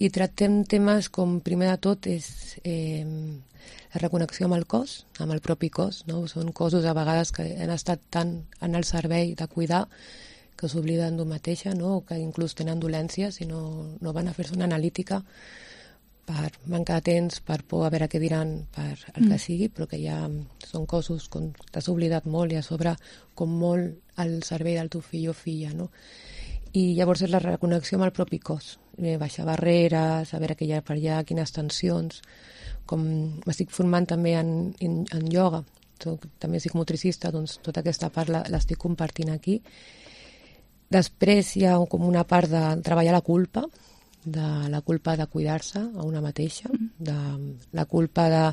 I tractem temes com, primer de tot, és la reconnexió amb el cos, amb el propi cos, no? Són cossos a vegades que han estat tant en el servei de cuidar que s'obliden d'un mateixa, no? O que inclús tenen dolències i no van a fer-se una analítica per mancar de temps, per por a veure què diran, per el que sigui, però que ja són cossos com t'has oblidat molt i a sobre com molt al servei del teu fill o filla, no? I llavors és la reconnexió amb el propi cos, baixar barreres, a veure què hi ha per allà, quines tensions, com m'estic formant també en ioga, també soc motricista, doncs tota aquesta part l'estic compartint aquí. Després hi ha com una part de treballar la culpa de cuidar-se a una mateixa, de la culpa de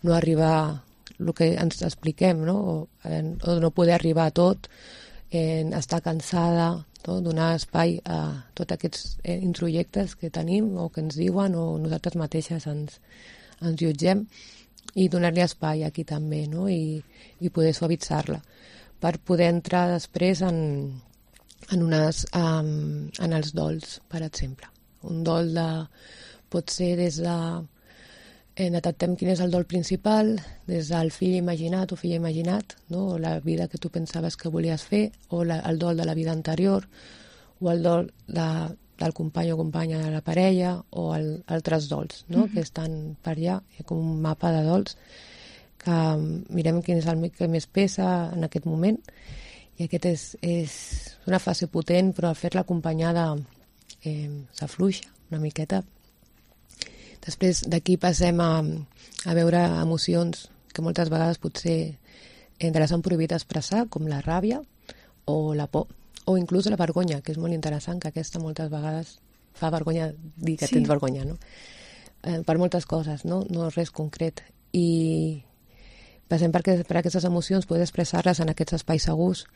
no arribar el que ens expliquem, no? O no poder arribar a tot, estar cansada, no? Donar espai a tots aquests introjectes que tenim o que ens diuen o nosaltres mateixes ens jutgem i donar-li espai aquí també, no? I poder suavitzar-la per poder entrar després en els dols, per exemple. Un dol pot ser des de... detectem quin és el dol principal, des del fill imaginat o filla imaginat, no? O la vida que tu pensaves que volies fer, o el dol de la vida anterior, o el dol del company o companya de la parella, o altres dols, no? Que estan per allà, hi ha com un mapa de dols, que mirem quin és el que més pesa en aquest moment, i aquest és una fase potent, però al fer-la acompanyada s'afluixa una miqueta. Després d'aquí passem a veure emocions que moltes vegades potser ens han prohibit expressar, com la ràbia o la por, o inclús la vergonya, que és molt interessant, que aquesta moltes vegades fa vergonya dir que tens vergonya, no? Per moltes coses, no és res concret. I passem per aquestes emocions, poder expressar-les en aquests espais segurs,